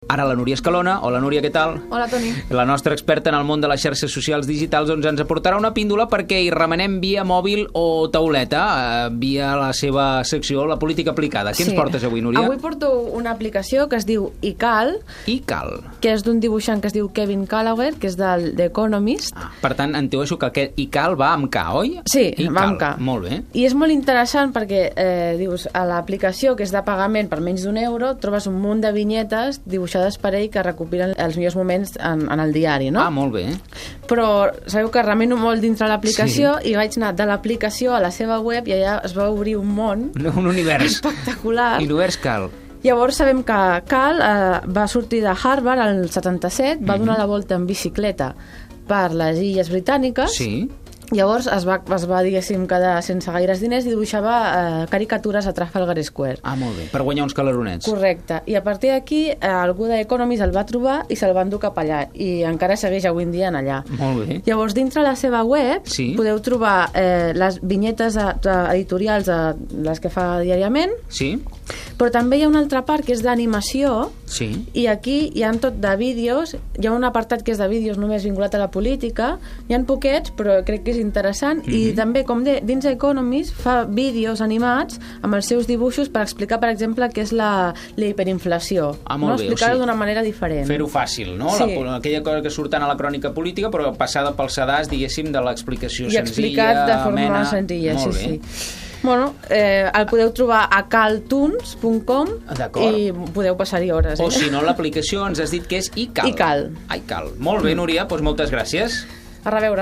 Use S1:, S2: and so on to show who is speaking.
S1: Ara la Núria Escalona. Hola, Núria, què tal?
S2: Hola, Toni.
S1: La nostra experta en el món de les xarxes socials digitals ens aportarà una píndola perquè hi remenem via mòbil o tauleta, via la seva secció, la política aplicada. Què ens portes avui, Núria?
S2: Avui porto una aplicació que es diu iCal, que és d'un dibuixant que es diu Kevin Callagher, que és del The Economist.
S1: Per tant, intueixo que aquest iCal va amb K, oi?
S2: Sí, va amb K.
S1: Molt bé.
S2: I és molt interessant perquè, dius, a l'aplicació, que és de pagament per menys d'€1, trobes un munt de vinyetes dibuixades per ell que recopilen els millors moments en el diari, no?
S1: Ah, molt bé.
S2: Però sabeu que remeno molt dintre l'aplicació i vaig anar de l'aplicació a la seva web i allà es va obrir un món
S1: un univers
S2: espectacular.
S1: I l'univers Cal.
S2: Llavors sabem que Cal va sortir de Harvard al 77, va donar la volta en bicicleta per les illes britàniques.
S1: Sí.
S2: Llavors es va, diguéssim, quedar sense gaires diners i dibuixava caricatures a Trafalgar Square.
S1: Ah, molt bé, per guanyar uns caloronets.
S2: Correcte, i a partir d'aquí algú d'Economist el va trobar i se'l va endur cap allà, i encara segueix avui en dia en allà.
S1: Molt bé.
S2: Llavors, dintre la seva web podeu trobar les vinyetes editorials, les que fa diàriament, però també hi ha una altra part que és d'animació, i aquí hi ha tot de vídeos, hi ha un apartat que és de vídeos només vinculat a la política, hi ha poquets, però crec que és interessant, i també, com dins Economist, fa vídeos animats amb els seus dibuixos per explicar, per exemple, què és la hiperinflació.
S1: Molt bé.
S2: Explicar-ho d'una manera diferent.
S1: Fer-ho fàcil, no? Aquella cosa que surt tant a la crònica política, però passada pel sedàs, diguéssim, de l'explicació senzilla,
S2: i explicat de forma senzilla, sí. Bueno, el podeu trobar a caltunes.com i podeu passar-hi hores.
S1: O si no, l'aplicació ens has dit que és iCal.
S2: iCal.
S1: Molt bé, Núria, doncs moltes gràcies.
S2: A reveure.